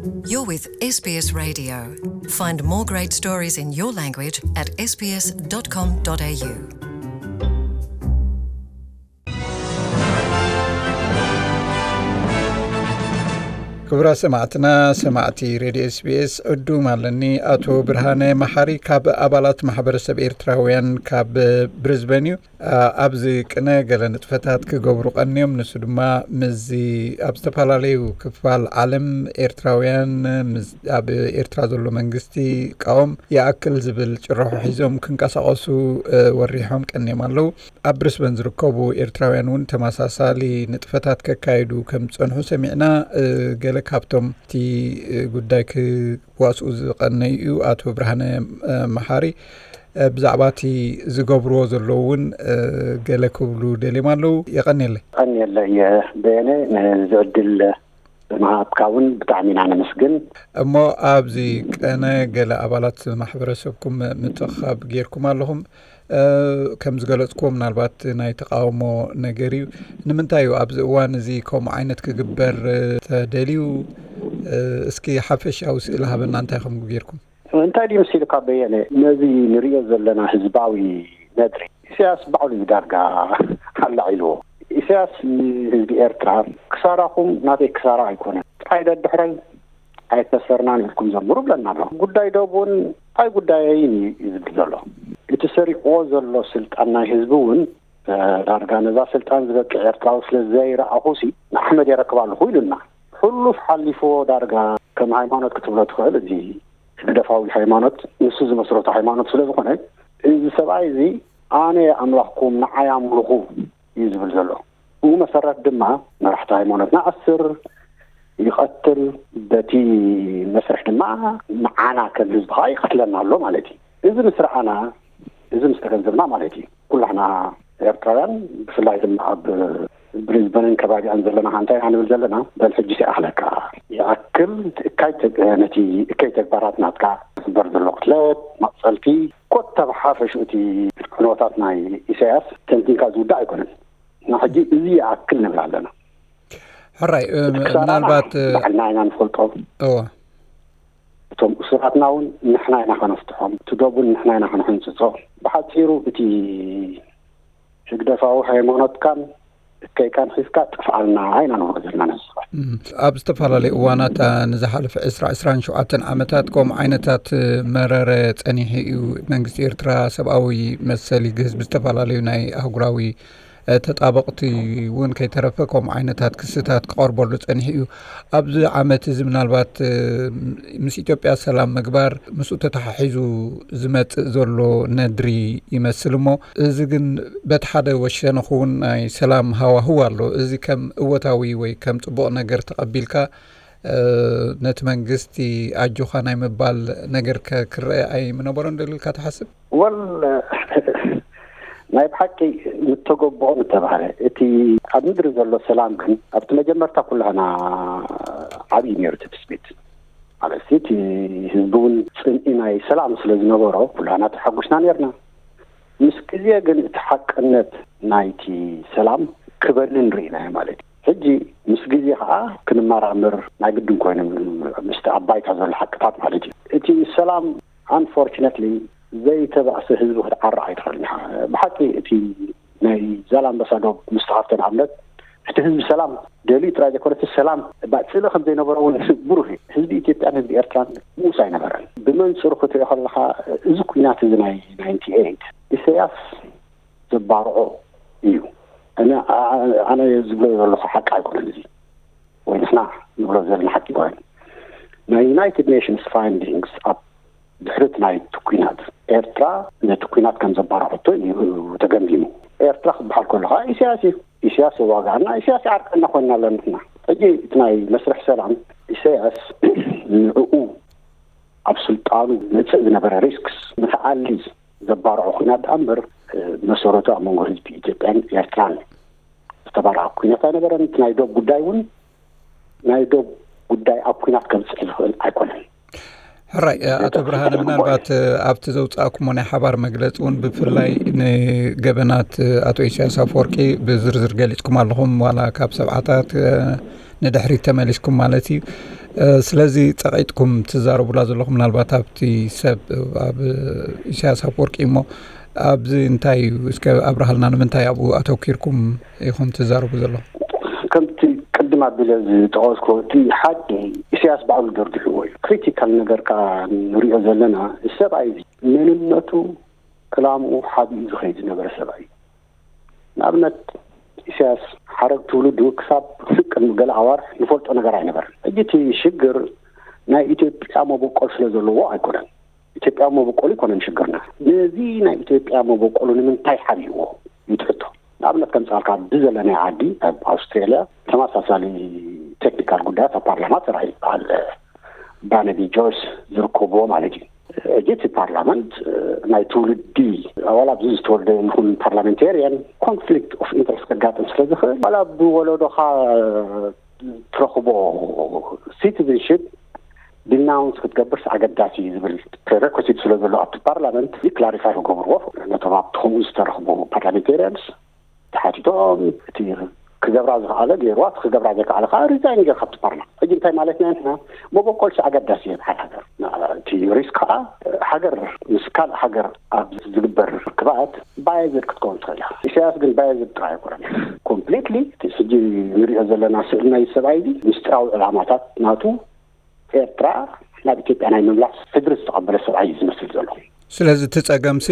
You're with S B S Radio. Find more great stories in your language at S B S dot com dot A U. ክቡራት ሰማዕትና፣ ሰማዕቲ ሬድዮ ኤስቢኤስ፣ ዕዱም ኣለኒ። ኣቶ ብርሃነ መሓሪ ካብ ኣባላት ማሕበረሰብ ኤርትራውያን ካብ ብሪዝበን እዩ። ኣ-፣ ኣብዚ ቅነ ገለ ንጥፈታት ክገብሩ ቀንዮም። ንሱ ድማ ምስዚ ኣብ ዝተፈላለዩ ክፋል ዓለም ኤርትራውያን ምስ ኣብ ኤርትራ ዘሎ መንግስቲ ቃወም ይኣክል ዝብል ጭርሖ ሒዞም ክንቀሳቐሱ፣ እ፣ ወሪሖም ቀንዮም ኣለዉ። ኣብ ብሪስበን ዝርከቡ ኤርትራውያን እውን ተመሳሳሊ ንጥፈታት ከካይዱ ከም ዝጸንሑ ሰሚዕና። እ፣ ገለ ካብቶም እቲ፣ እ፣ ጉዳይ ክዋስኡ ዝቐነዩ እዩ ኣቶ ብርሃነ፣ እ፣ መሓሪ። እ፣ ብዛዕባ እቲ ዝገብርዎ ዘለዉ እውን፣ እ፣ ገለ ክብሉ ደልዮም ኣለዉ። የቐንየለይ። ቀንየለይ፣ በየነ፣ ንዚ ዕድል ብምሃብካ እውን ብጣዕሚ ኢና ነመስግን። እሞ ኣብዚ ቀነ ገለ ኣባላት ማሕበረሰብኩም ምትእኽኻብ ጌርኩም ኣለኹም። እ፣ ከም ዝገለጽኩዎ ምናልባት ናይ ተቃውሞ ነገር እዩ። ንምንታይ እዩ ኣብዚ እዋን እዚ ከምኡ ዓይነት ክግበር፣ እ፣ ተደልዩ? እ፣ እስኪ ሓፈሻዊ ስእሊ ሃበና፣ እንታይ ከም ጌርኩም? እንታይ ድዩ መሲልካ በየነ፣ ነዚ ንሪኦ ዘለና ህዝባዊ ነድሪ ኢሳያስ ባዕሉ እዩ ዳርጋ ኣላዒልዎ። ኢሳያስ ንህዝቢ ኤርትራ፣ ክሳራኹም ናተይ ክሳራ ኣይኮነን፣ ጥራይ ደድሕረይ ኣይከሰርናን ኢልኩም ዘምሩ ብለና ኣሎ። ጉዳይ ዶብ እውን ኣይ ጉዳየይን እዩ ዝብል ዘሎ። እቲ ሰሪቕዎ ዘሎ ስልጣን ናይ ህዝቢ እውን፣ እ፣ ዳርጋ ነዛ ስልጣን ዝበቅዕ ኤርትራዊ ስለ ዘይረኣኹሲ ንኣሕመድ የረክብ ኣለኹ ኢሉና። ሕሉፍ ሓሊፍዎ ዳርጋ ከም ሃይማኖት ክትብሎ ትኽእል፣ እዚ ህግደፋዊ ሃይማኖት፣ ንሱ ዝመስረቶ ሃይማኖት ስለ ዝኾነ፣ እዚ ሰብኣይ እዚ ኣነ ኣምላኽኩም ንዓይ ኣምልኹ እዩ ዝብል ዘሎ። ብኡ መሰረት ድማ መራሕቲ ሃይማኖትና ኣስር፣ ይቐትል፣ በቲ መስርሕ ድማ ንዓና ከም ህዝቢ ከዓ ይቐትለና ኣሎ ማለት እዩ። እዚ ምስ ረኣና፣ እዚ ምስ ተገንዘብና ማለት እዩ፣ ኩላህና ኤርትራውያን፣ ብፍላይ ድማ ኣብ ብሪዝበንን ከባቢኣን ዘለና፣ እንታይ ኢና ንብል ዘለና? በል ሕጂ ይኣኽለካ፣ ይኣክል፣ እቲ እካይ ተግ-፣ ነቲ እከይ ተግባራት ናትካ፣ ዝግበር ዘሎ ቅትለት፣ መቕጸልቲ፣ ኮታ ብሓፈሽኡ እቲ ዕንወታት ናይ ኢሳያስ ተንቲንካ ዝውዳእ ኣይኮነን። ንሕጂ እዚ ይኣክል ንብል ኣለና። ሕራይ፣ እ፣ እቲ ክሳራና ምናልባት፣ እ፣ ባዕልና ኢና ንፈልጦ። እወ። እቶም እሱራትና እውን ንሕና ኢና ከነፍትሖም፣ እቲ ዶብ እውን ንሕና ኢና ከነሕንጽጾ። ብሓጺሩ እቲ ህግደፋዊ ሃይማኖትካን እከይካን ሒዝካ ጥፍኣልና ኢና ንብሎ ዘለና ንህዝቢ። እም፣ ኣብ ዝተፈላለዩ እዋናት፣ እ፣ ንዝሓለፈ ዕስራ፣ ዕስራን ሸውዓተን ዓመታት ከምኡ ዓይነታት፣ እ፣ መረረ ጸኒሑ እዩ። መንግስቲ ኤርትራ ሰብኣዊ መሰል ይግህስ፣ ብዝተፈላለዩ ናይ ኣህጉራዊ፣ እ፣ ተጣበቕቲ እውን ከይተረፈ ከምኡ ዓይነታት ክስታት ክቐርበሉ ጸኒሑ እዩ። ኣብዚ ዓመት እዚ ምናልባት፣ እ፣ ምስ ኢትዮጵያ ሰላም ምግባር፣ ምስኡ ተተሓሒዙ ዝመጽእ ዘሎ ነድሪ ይመስል እሞ፣ እዚ ግን በቲ ሓደ ወሸነ ክውን ናይ ሰላም ሃዋህው ኣሎ። እዚ ከም እወታዊ ወይ ከም ጽቡቕ ነገር ተቐቢልካ፣ እ፣ ነቲ መንግስቲ ኣጆኻ ናይ ምባል ነገር ከ ክረአ ኣይምነበሮን ዶ ኢልካ ትሓስብ? ወል፣ ናይ ብሓቂ ምተገብኦ ምተባህለ፣ እቲ ኣብ ምድሪ ዘሎ ሰላም ግን ኣብቲ መጀመርታ ኩላህና ዓብዪ ነይሩ እቲ ትስቢት። ማለት እቲ ህዝቢ እውን ጽምኢ ናይ ሰላም ስለ ዝነበሮ ኩላህና ተሓጒስና ነርና። ምስ ግዜ ግን እቲ ሓቅነት ናይቲ ሰላም ክበንን ርኢናዮ ማለት እዩ። ሕጂ ምስ ግዜ ከዓ ክንመራምር ናይ ግድን ኮይኑ ምስቲ ኣብ ባይታ ዘሎ ሓቅታት ማለት እዩ። እቲ ሰላም፣ ኣንፎርችነትሊ፣ ዘይተባእሰ ህዝቢ ክትዓርቕ ኣይትኽእልን ኢኻ። ብሓቂ እቲ ናይ ዛላምበሳ ዶብ ምስ ተኸፍተ ንኣብነት፣ እቲ ህዝቢ ሰላም ደልዩ ጥራይ ዘይኮነ፣ እቲ ሰላም ባጽልእ ከም ዘይነበሮ እውን ብሩህ እዩ። ህዝቢ ኢትዮጵያን ህዝቢ ኤርትራን ንኡስ ኣይነበረን። ብመንጽሩ ክትሪኦ ከለኻ፣ እዚ ኲናት እዚ ናይ ናይንቲ ኤይት፣ ኢሳያስ ዘባርዖ እዩ። ኣነ፣ ኣነ ዝብሎ ዘለኹ ሓቂ ኣይኮነን እዚ፣ ወይ ንሕና ንብሎ ዘለና ሓቂ ኣይኮነን። ናይ ዩናይትድ ኔሽንስ ፋይንዲንግስ ኣብ ድሕሪት ናይቲ ኲናት፣ ኤርትራ ነቲ ኲናት ከም ዘባርዐቶ እዩ ተገምጊሙ። ኤርትራ ክበሃል ከሎ ከዓ ኢሳያስ እዩ። ኢሳያስ ይዋግኣና፣ ኢሳያስ ይዓርቀና ኮይና ኣለና ንሕና። ሕጂ እቲ ናይ መስርሕ ሰላም፣ ኢሳያስ ንዕኡ ኣብ ስልጣኑ መጽእ ዝነበረ ሪስክስ ንክኣሊ ዘባርዖ ኲናት ደኣ እምበር፣ መሰረቱ ኣብ መንጎ ህዝቢ ኢትዮጵያን ኤርትራን ዝተባርዐ ኲናት ኣይነበረን። እቲ ናይ ዶብ ጉዳይ እውን ናይ ዶብ ጉዳይ ኣብ ኲናት ከምጽእ ዝኽእል ኣይኮነን። ሕራይ፣ ኣቶ ብርሃነ፣ ምናልባት ኣብቲ ዘውጻእኩሞ ናይ ሓባር መግለጺ እውን ብፍላይ ንገበናት ኣቶ ኢሳያስ ኣፈወርቂ ብዝርዝር ገሊጽኩም ኣለኹም፣ ዋላ ካብ ሰብዓታት ንድሕሪት ተመሊስኩም ማለት እዩ። ስለዚ ጸቒጥኩም ትዛረቡላ ዘለኹም ምናልባት ኣብቲ ሰብ ኣብ ኢሳያስ ኣፈወርቂ እሞ ኣብዚ እንታይ እዩ እስከ ኣብርሃልና፣ ንምንታይ ኣብኡ ኣተኪርኩም ኢኹም ትዛረቡ ዘለኹም? ከምቲ ቅድም ኣቢለ ዝጠቐስኩ እቲ ሓቂ ኢሳያስ ባዕሉ ደርዲሕዎ እዩ። ክሪቲካል ነገር ከዓ ንሪኦ ዘለና ሰብኣይ እዚ መንነቱ ዕላምኡ ሓቢኡ ዝኸይድ ዝነበረ ሰብኣይ እዩ። ንኣብነት ኢሳያስ ሓረግ ትውልዱ ክሳብ ስቅ ቅድሚ ገለ ኣዋርሕ ንፈልጦ ነገር ኣይነበረን። ሕጂ እቲ ሽግር ናይ ኢትዮጵያ መበቆል ስለ ዘለዎ ኣይኮነን። ኢትዮጵያ መበቆሉ ኣይኮነን ሽግርና። ነዚ ናይ ኢትዮጵያ መበቆሉ ንምንታይ ሓቢእዎ ይትሕቶ። ንኣብነት ከምፃልካ ኣብዚ ዘለናይ ዓዲ ኣብ ኣውስትራልያ ተመሳሳሊ ቴክኒካል ጉዳያት ኣብ ፓርላማ ተራእዩ ይበሃል። ባነቢ ጆርጅ ዝርከብዎ ማለት እዩ። ሕጂ እቲ ፓርላመንት ናይ ትውልዲ ዋላ ኣብዚ ዝተወልደ ይኹን ፓርላሜንቴሪያን ኮንፍሊክት ኦፍ ኢንትረስት ከጋጥም ስለ ዝኽእል ዋላ ብወለዶኻ ትረኽቦ ሲቲዝንሽፕ ዲናውንስ ክትገብርስ ኣገዳሲ እዩ ዝብል ፕሬሬኮሲት ስለ ዘሎ ኣብቲ ፓርላመንት ክላሪፋይ ክገብርዎ ነቶም ኣብቲ ከምኡ ዝተረኽቡ ፓርላሜንቴሪያንስ ተሓቲቶም እቲ ክገብራ ዝኸኣለ ገይርዋ፣ እቲ ክገብራ ዘይከኣለ ከዓ ሪዛይን ገይሩ ካብቲ ፓርላማ። ሕጂ እንታይ ማለትና ኢና ንሕና? መበቆልሲ ኣገዳሲ እዩ ኣብ ሓደ ሃገር። እቲ ሪስክ ከዓ ሃገር ምስ ካልእ ሃገር ኣብ ዝግበር ርክባት ባየዝድ ክትከውን ትኽእል እያ። ኢሳያስ ግን ባየዝድ ጥራይ ኣይኮነን። ኮምፕሊትሊ እቲ ሕጂ ንሪኦ ዘለና ስእሊ ናይ ሰብኣይ እዚ ምስጢራዊ ዕላማታት ናቱ ኤርትራ ናብ ኢትዮጵያ ናይ ምምላስ ሕድሪ ዝተቐበለ ሰብኣይ እዩ ዝመስል ዘሎ። ስለዚ እቲ ጸገምሲ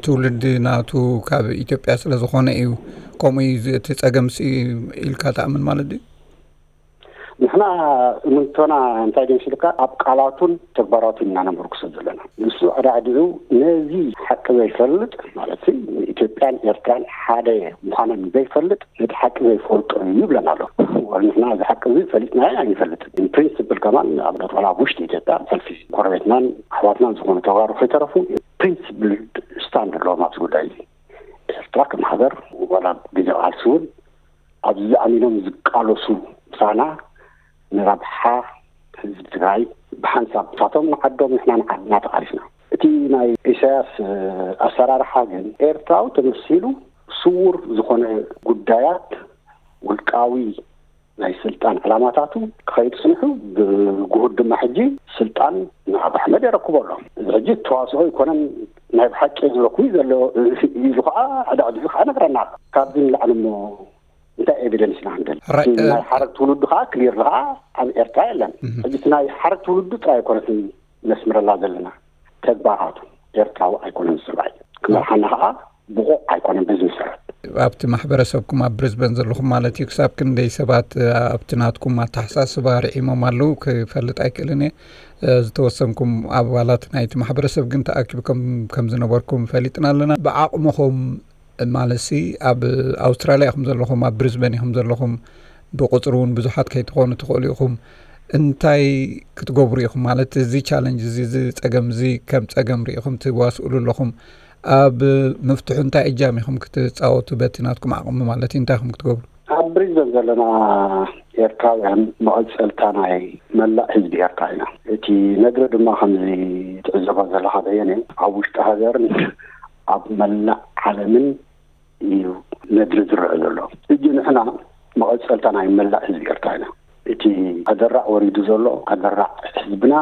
ትውልዲ ናቱ ካብ ኢትዮጵያ ስለ ዝኾነ እዩ ከምኡ እዩ። እቲ ጸገምሲ ኢልካ ትኣምን ማለት ድዩ? ንሕና እምንቶና እንታይ ድምስልካ ኣብ ቃላቱን ተግባራቱን ኢና ነመርክሶ ዘለና። ንሱ ኣዳዕዲዑ ነዚ ሓቂ ዘይፈልጥ ማለት ንኢትዮጵያን ኤርትራን ሓደ ምዃነን ዘይፈልጥ ነቲ ሓቂ ዘይፈልጦ እዩ ይብለና ኣሎ። ንሕና እዚ ሓቂ እዚ ፈሊጥና ኣይንፈልጥን። ፕሪንስፕል ከማን ኣብነት ዋላ ኣብ ውሽጢ ኢትዮጵያ ሰልፊ ጎረቤትናን ኣሕዋትናን ዝኾኑ ተጋሩ ከይተረፉ ፕሪንስፕል ስታንድ ኣለዎም ኣብዚ ጉዳይ እዚ። ኤርትራ ከም ሃገር ዋላ ግዜ ቃልሲ እውን ኣብዚ ኣሚኖም ዝቃለሱ ምሳና ንረብሓ ህዝቢ ትግራይ ብሓንሳብ ንሳቶም ንዓዶም ንሕና ንዓድና ተቃሊስና። እቲ ናይ ኢሳያስ ኣሰራርሓ ግን ኤርትራዊ ተመሲሉ ስውር ዝኾነ ጉዳያት ውልቃዊ ናይ ስልጣን ዕላማታቱ ክኸይድ ጽንሑ ብጉሁድ ድማ ሕጂ ስልጣን ንኣብ ኣሕመድ የረክቦ ኣሎ። እዚ ሕጂ ተዋስኦ ኣይኮነን ናይ ብሓቂ ዝበኩ ዘሎ ኢሉ ከዓ ኣዳዕዲዑ ከዓ ነግረና ኣሎ። ካብዚ ንላዕሊ እሞ እንታይ ኤቪደንስ ኢና ክንደሊ? ናይ ሓረግ ትውልዱ ከዓ ክሊር ከዓ ኣብ ኤርትራ የለን። ሕጂ ናይ ሓረግ ትውልዱ ጥራይ ኣይኮነትን ነስምረላ ዘለና ተግባራቱ ኤርትራዊ ኣይኮነን ዝስራይ ክመርሓና ከዓ ብቑዕ ኣይኮነን። በዚ መሰረት ኣብቲ ማሕበረሰብኩም ኣብ ብሪዝበን ዘለኹም ማለት እዩ ክሳብ ክንደይ ሰባት ኣብቲ ናትኩም ኣተሓሳስባ ርዒሞም ኣለዉ ክፈልጥ ኣይክእልን እየ። ዝተወሰንኩም ኣባላት ናይቲ ማሕበረሰብ ግን ተኣኪብኩም ከም ዝነበርኩም ፈሊጥና ኣለና። ብዓቕምኹም ማለትሲ ኣብ ኣውስትራልያ ኢኹም ዘለኹም፣ ኣብ ብሪዝበን ኢኹም ዘለኹም፣ ብቁፅሪ እውን ብዙሓት ከይትኾኑ ትኽእሉ ኢኹም። እንታይ ክትገብሩ ኢኹም? ማለት እዚ ቻለንጅ እዚ፣ እዚ ፀገም እዚ ከም ፀገም ርኢኹም ትዋስእሉ ኣለኹም። ኣብ ምፍትሑ እንታይ እጃም ኢኹም ክትፃወቱ በቲ ናትኩም ዓቕሚ ማለት እዩ? እንታይ ኢኹም ክትገብሩ? ኣብ ብሪዝበን ዘለና ኤርትራውያን መቐፀልታ ናይ መላእ ህዝቢ ኤርትራ ኢና። እቲ ነግሪ ድማ ከምዚ ትዕዘቦ ዘለኻ በየነ ኣብ ውሽጢ ሃገርን ኣብ መላእ ዓለምን እዩ ነድሪ ዝረአ ዘሎ። ሕጂ ንሕና መቐጸልታ ናይ መላእ ህዝቢ ኤርትራ ኢና። እቲ ኣደራዕ ወሪዱ ዘሎ ኣደራዕ ህዝብና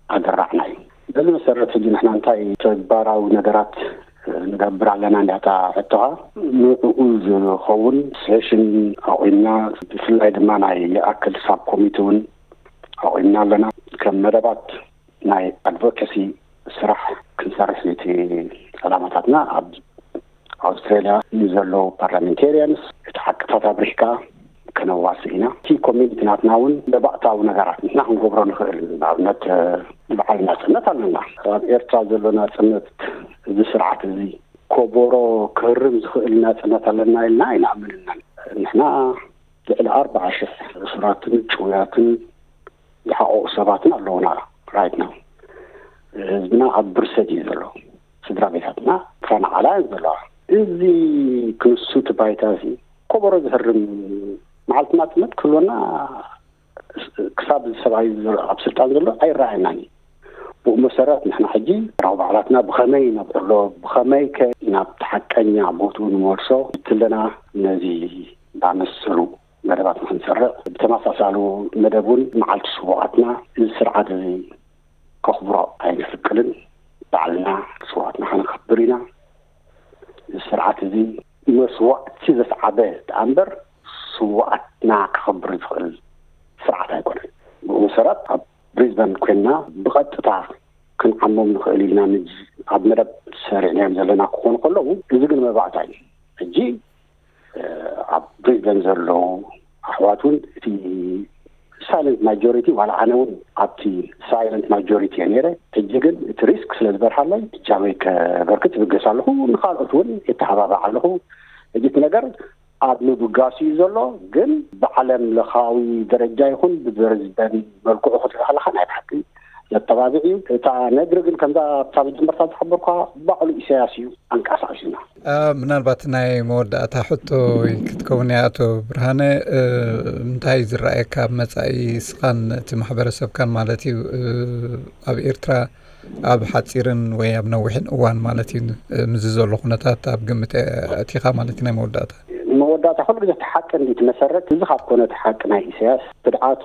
ኣደራዕና እዩ። በዚ መሰረት ሕጂ ንሕና እንታይ ተግባራዊ ነገራት ንገብር ኣለና እንዲያታ ሕቶኻ ንዕኡ ዝኸውን ሴሽን ኣቑምና፣ ብፍላይ ድማ ናይ ይኣክል ሳብ ኮሚቲ እውን ኣቑምና ኣለና። ከም መደባት ናይ ኣድቮኬሲ ስራሕ ክንሰርሕ እቲ ዕላማታትና ኣብ ኣውስትራልያ ንዘለዉ ፓርላሜንቴርያንስ እቲ ሓቅታት ኣብሪህካ ከነዋስእ ኢና። እቲ ኮሚኒቲ ናትና እውን ለባእታዊ ነገራት ንሕና ክንገብሮ ንኽእል ንኣብነት በዓል ናፅነት ኣለና። ኣብ ኤርትራ ዘሎ ናፅነት እዚ ስርዓት እዚ ኮቦሮ ክህርም ዝኽእል ናፅነት ኣለና ኢልና ኣይንኣምንናን። ንሕና ልዕሊ ኣርባዓ ሽሕ እሱራትን ጭውያትን ዝሓቆቁ ሰባትን ኣለውና። ራይት ናው ህዝብና ኣብ ብርሰት እዩ ዘሎ። ስድራ ቤታትና ተፈናቃላያን ዘለዋ። እዚ ክንሱ እቲ ባይታ እዚ ኮበሮ ዝህርም መዓልቲ ናፅነት ክህልወና ክሳብ ሰብኣይ ኣብ ስልጣን ዘሎ ኣይረኣየናን እዩ። ብኡ መሰረት ንሕና ሕጂ ራው ባዕላትና ብኸመይ ነብዕሎ፣ ብኸመይ ከ ናብ ሓቀኛ ቦትኡ ንመልሶ ትለና ነዚ ባመሰሉ መደባት ንክንሰርዕ፣ ብተመሳሳሉ መደብ እውን መዓልቲ ስውኣትና እዚ ስርዓት እዚ ከኽብሮ ኣይንፍቅድን። ባዕልና ስውኣትና ከነኽብር ኢና። እዚ ስርዓት እዚ መስዋእቲ ዘስዓበ ደኣ እምበር ስውኣትና ከኽብር ዝኽእል ስርዓት ኣይኮነን። ብኡ መሰረት ኣብ ብሪዝበን ኮይንና ብቐጥታ ክንዓሞም ንኽእል ኢልና ኣብ መደብ ሰሪዕናዮም ዘለና ክኾኑ ከለዉ፣ እዚ ግን መባእታ እዩ። ሕጂ ኣብ ብሪዝበን ዘለዉ ኣሕዋት እውን እቲ ሳይለንት ማጆሪቲ፣ ዋላ ኣነ እውን ኣብቲ ሳይለንት ማጆሪቲ እየ ነይረ። ሕጂ ግን እቲ ሪስክ ስለ ዝበርሃለይ እጃመይ ከበርክት ይብገስ ኣለኹ። ንኻልኦት እውን የተሓባባዕ ኣለኹ። ሕጂ እቲ ነገር ኣብ ምብጋስ እዩ ዘሎ። ግን ብዓለም ለኻዊ ደረጃ ይኹን ብብሪዝበን መልክዑ ክትርኢ ከለኻ ናይ ብሓቂ ዘተባብዕ እዩ። እታ ነግሪ ግን ከምዛ ኣብታ መጀመርታ ዝሓበርኳ ባዕሉ ኢሳያስ እዩ ኣንቀሳቒሱና። ምናልባት ናይ መወዳእታ ሕቶ ክትከውን እያ። ኣቶ ብርሃነ፣ እንታይ ዝረኣየካ ኣብ መፃኢ ስኻን እቲ ማሕበረሰብካን ማለት እዩ ኣብ ኤርትራ ኣብ ሓፂርን ወይ ኣብ ነዊሕን እዋን ማለት እዩ ምዚ ዘሎ ኩነታት ኣብ ግምት ኣእቲኻ ማለት እዩ ናይ መወዳእታ? መወዳእታ ኩሉ ግዜ እቲ ሓቂ እንዲ ትመሰረት፣ እዚ ካብ ኮነ እቲ ሓቂ ናይ ኢሳያስ ክድዓቱ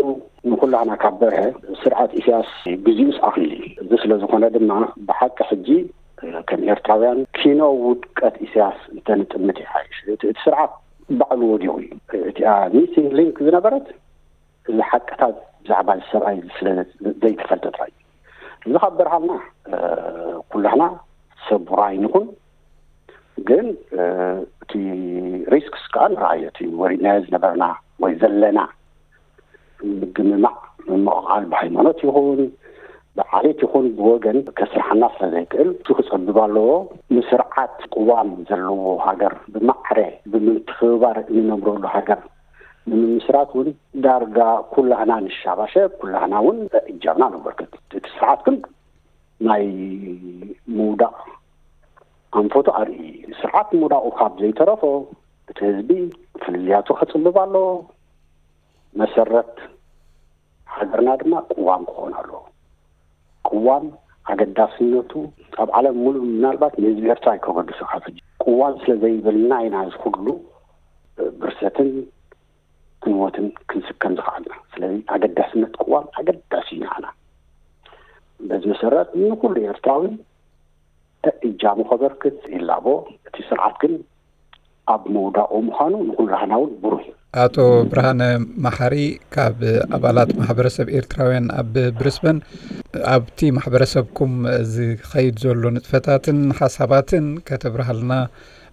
ንኩላህና ካብ በርሀ፣ ስርዓት ኢሳያስ ግዜኡስ ኣኽሊሉ እዩ። እዚ ስለ ዝኾነ ድማ ብሓቂ ሕጂ ከም ኤርትራውያን ኪኖ ውድቀት ኢሳያስ እንተንጥምት ይሓይሽ። እቲ ስርዓት ባዕሉ ወዲቑ እዩ። እቲኣ ሚሲንግ ሊንክ ዝነበረት እዚ ሓቅታት ብዛዕባ እዚ ሰብኣይ ስለ ዘይተፈልጠ ጥራይ እዩ። እዚ ካብ በርሃልና ኩላህና ሰቡራይ ንኹን። ግን እቲ ሪስክስ ከዓ ንረኣዮ፣ እቲ ወሪድናዮ ዝነበርና ወይ ዘለና ምግምማዕ፣ ምምቕቓል ብሃይማኖት ይኹን ብዓሌት ይኹን ብወገን ከስርሓና ስለ ዘይክእል፣ እሱ ክፀብብ ኣለዎ። ንስርዓት ቅዋም ዘለዎ ሃገር ብማዕረ ብምትኽብባር እንነብረሉ ሃገር ንምምስራት እውን ዳርጋ ኩላህና ንሻባሸ፣ ኩላህና እውን እጃምና ንበርክት። እቲ ስርዓት ግን ናይ ምውዳቕ ኣንፈቱ ኣርኢ። ስርዓት ምውዳቑ ካብ ዘይተረፎ እቲ ህዝቢ ፍልልያቱ ከፅብብ ኣለዎ። መሰረት ሃገርና ድማ ቅዋም ክኾን ኣለዎ። ቅዋም ኣገዳስነቱ ኣብ ዓለም ሙሉ ምናልባት ንህዝቢ ኤርትራ ኣይከገድሶ ካብ ሕጂ። ቅዋም ስለ ዘይብልና ኢና እዚ ኩሉ ብርሰትን ክንሞትን ክንስከም ዝኸኣልና። ስለዚ ኣገዳስነት ቅዋም ኣገዳሲ እዩ ንዓና። በዚ መሰረት ንኩሉ ኤርትራዊ እጃሙ ከበርክት ይላቦ። እቲ ስርዓት ግን ኣብ ምውዳቑ ምዃኑ ንኩላህና እውን ብሩህ እዩ። ኣቶ ብርሃነ መሓሪ ካብ ኣባላት ማሕበረሰብ ኤርትራውያን ኣብ ብሪስበን ኣብቲ ማሕበረሰብኩም ዝኸይድ ዘሎ ንጥፈታትን ሓሳባትን ከተብርሃልና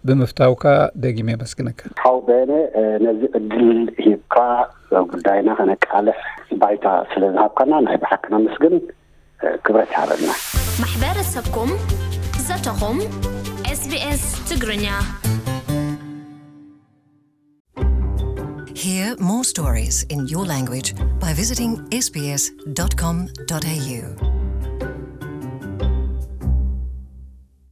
ብምፍታውካ ደጊመ የመስግነካ። ሓው በየነ፣ ነዚ ዕድል ሂብካ ጉዳይና ከነቃልሕ ባይታ ስለ ዝሃብካና ናይ ብሓቂ ነመስግን። ክብረት ይሃበልና። ማሕበረሰብኩም፣ ዘተኹም፣ ኤስቢኤስ ትግርኛ። Hear more stories in your language by visiting S B S dot com dot A U.